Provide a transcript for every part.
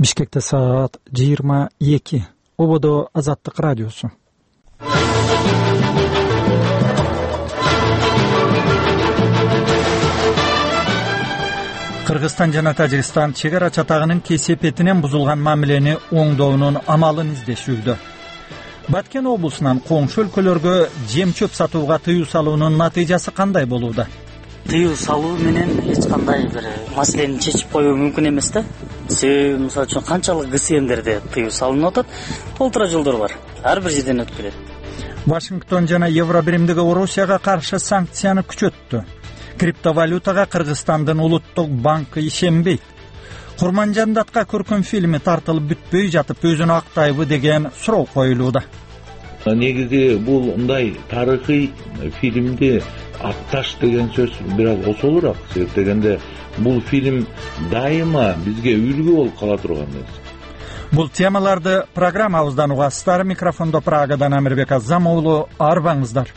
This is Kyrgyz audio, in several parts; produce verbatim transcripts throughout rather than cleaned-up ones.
Бишкекте саат жыйырма эки. Ободо Азаттык радиосу. Кыргызстан жана Тажикстан чек ара чатагынын кесепетинен бузулган мамилени оңдоонун амалын издешүүдө. Баткен облусунан коңшу өлкөлөргө жем чөп сатууга тыюу салуунун натыйжасы кандай болууда? Тыюу салуу менен эч кандай бир маселени чечип коюу мүмкүн эмес да. Себеби мисалы үчүн канчалык ГСМдерде тыюу салынып атат, толтура жолдор бар. Ар бир жерден өтүп келет. Вашингтон жана Евробиримдиги Орусияга каршы санкцияны күчөттү. Криптовалютага Кыргызстандын улуттук банкы ишенбейт. Курманжандатка көркөм фильми тартылып бүтпөй жатып өзүн актайбы деген суроо коюлууда. Негизи бул мындай тарыхый фильмди атташ деген сөз бир аз осолураак, себеп дегенде бул фильм дайыма бизге үлгү болуп кала турган нерсе. Бул темаларды программабыздан угасыздар. Микрофондо Прагадан Амирбек Азам уулу, арбаңыздар.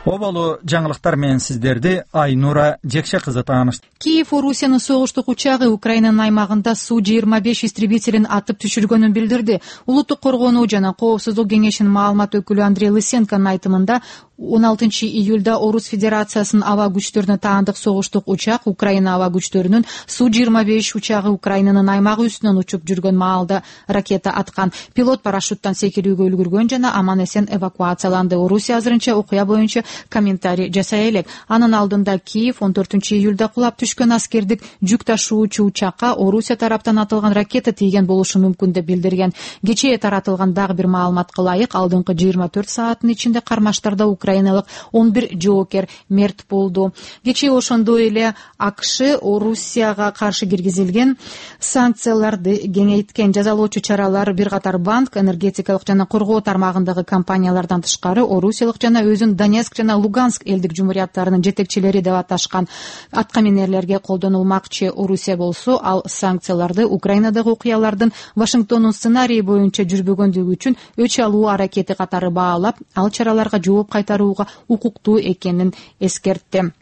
Оболу жаңылыктар менен сиздерди Айнура Жекше кызы тааныштырат. Киев Орусиянын согуштук учагы Украинанын аймагында Су жыйырма беш истребителин атып түшүргөнүн билдирди. Улуттук коргонуу жана коопсуздук кеңешинин маалымат өкүлү Андрей Лысенконун айтымында он алтынчы июлда Орус Федерациясынын аба күчтөрүнө таандык согуштук учак Украина аба күчтөрүнүн Су жыйырма беш учагы Украинанын аймагы үстүнөн учуп жүргөн маалда ракета аткан. Пилот парашюттан секирүүгө үлгүргөн жана аман эсен эвакуацияланды. Орусия азырынча окуя боюнча комментарий жасай элек. Анын алдында Киев он төртүнчү июлда кулап түшкөн аскердик жүк ташуучу учакка Орусия тараптан атылган ракета тийген болушу мүмкүн деп билдирген. Кечээ таратылган дагы бир маалыматка ылайык, алдыңкы жыйырма төрт сааттын ичинде кармаштарда украиналык он бир жоокер мерт болду. Кечээ ошондой эле АКШ Орусияга каршы киргизилген санкцияларды кеңейткен. Жазалоочу чаралар бир катар банк, энергетикалык жана коргоо тармагындагы компаниялардан тышкары Орусиялык жана өзүн Донецк жана Луганск элдик жумурияттарынын жетекчилери деп аташкан аткаминерлерге колдонулмакчы. Орусия болсо ал санкцияларды Украинадагы окуялардын Вашингтондун сценарийи боюнча жүрбөгөндүгү үчүн өч алуу аракети катары баалап, ал чараларга жооп кайтарууга укуктуу экенин эскертти.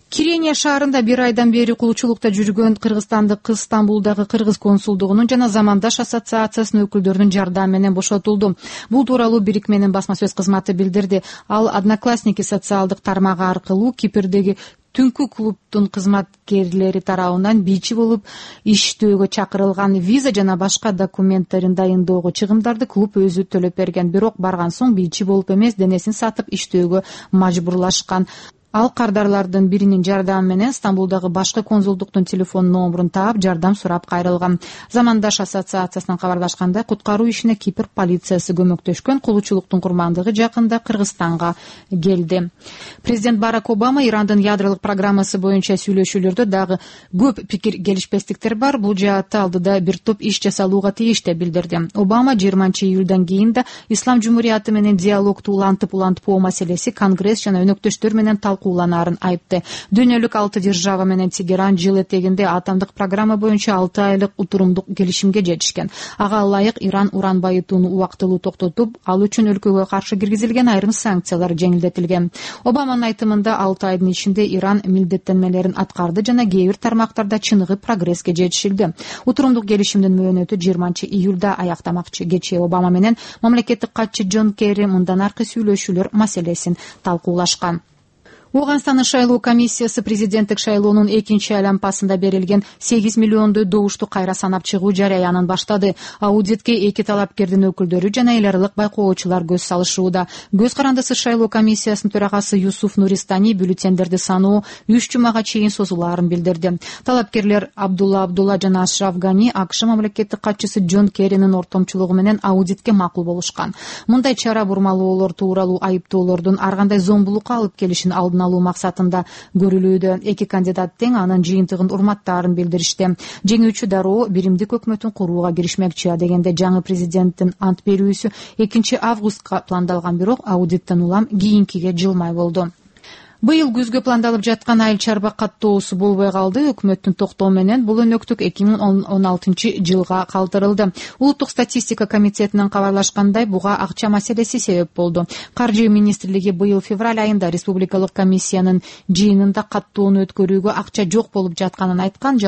Кирения шаарында бир айдан бери кулчулукта жүргөн кыргызстандык кыз Стамбулдагы кыргыз консулдугунун жана Замандаш ассоциациясынын өкүлдөрүнүн жардамы менен бошотулду. Бул тууралуу бирикменин басма сөз кызматы билдирди. Ал Одноклассники социалдык тармагы аркылуу Кипрдеги түнкү клубдун кызматкерлери тарабынан бийчи болуп иштөөгө чакырылган. Виза жана башка документтерин дайындоого чыгымдарды клуб өзү төлөп берген. Бирок барган соң бийчи болуп эмес, денесин сатып иштөөгө мажбурлашкан. Ал кардарлардын биринин жардамы менен Стамбулдагы башкы консулдуктун телефон номерун таап, жардам сурап кайрылган. Замандаш ассоциациясынан кабарлашкандай, куткаруу ишине Кипр полициясы көмөктөшкөн. Кулчулуктун курмандыгы жакында Кыргызстанга келди. Президент Барак Обама Ирандын ядролук программасы боюнча сүйлөшүүлөрдө дагы көп пикир келишпестиктер бар. Бул жаатта алдыда бир топ иш жасалууга тийиш деп билдирди. Обама жыйырманчы июлдан кийин да Ислам жумурияты менен диалогду улантып улантпоо маселеси Конгресс жана өнөктөштөр менен куланарын айыпты. Дүйнөлүк алты держава менен Тегеран жыл этегинде атомдук программа боюнча алты айлык утурумдук келишимге жетишкен. Ага ылайык Иран уран байытууну убактылуу токтотуп, ал үчүн өлкөгө каршы киргизилген айрым санкциялар жеңилдетилген. Обаманын айтымында алты айдын ичинде Иран милдеттенмелерин аткарды жана кээ бир тармактарда чыныгы прогресске жетишилди. Утурумдук келишимдин мөөнөтү жыйырманчы июлда аяктамакчы. Кечээ Обама менен мамлекеттик катчы Джон Керри мындан аркы сүйлөшүүлөр маселесин талкуулашкан. Оганстандын шайлоо комиссиясы президенттик шайлоонун экинчи айлампасында берилген сегиз миллиондой добушту кайра санап чыгуу жараянын баштады. Аудитке эки талапкердин өкүлдөрү жана эл аралык байкоочулар көз салышууда. Көз карандысыз шайлоо комиссиясынын төрагасы Юсуф Нуристани бюллетендерди саноо үч жумага чейин созулаарын билдирди. Талапкерлер Абдулла Абдулла жана Ашраф Гани АКШ мамлекеттик катчысы Джон Керринин ортомчулугу менен аудитке макул болушкан. Мындай чара бурмалоолор тууралуу айыптоолордун ар кандай зомбулукка алып келишин алдын алуу максатында көрүлүүдө. Эки кандидат тең анын жыйынтыгын урматтаарын билдиришти. Жеңүүчү дароо биримдик өкмөтүн курууга киришмекчи дегенде жаңы президенттин ант берүүсү экинчи августка пландалган, бирок аудиттен улам кийинкиге жылмай болду. Быйыл күзгө пландалып жаткан айыл чарба каттоосу болбой калды. Өкмөттүн токтоо менен бул өнөктүк эки миң он алтынчы жылга калтырылды. Улуттук статистика комитетинен кабарлашкандай, буга акча маселеси себеп болду. Каржы министрлиги быйыл февраль айында республикалык комиссиянын жыйынында каттоону өткөрүүгө акча жок болуп жатканын айткан.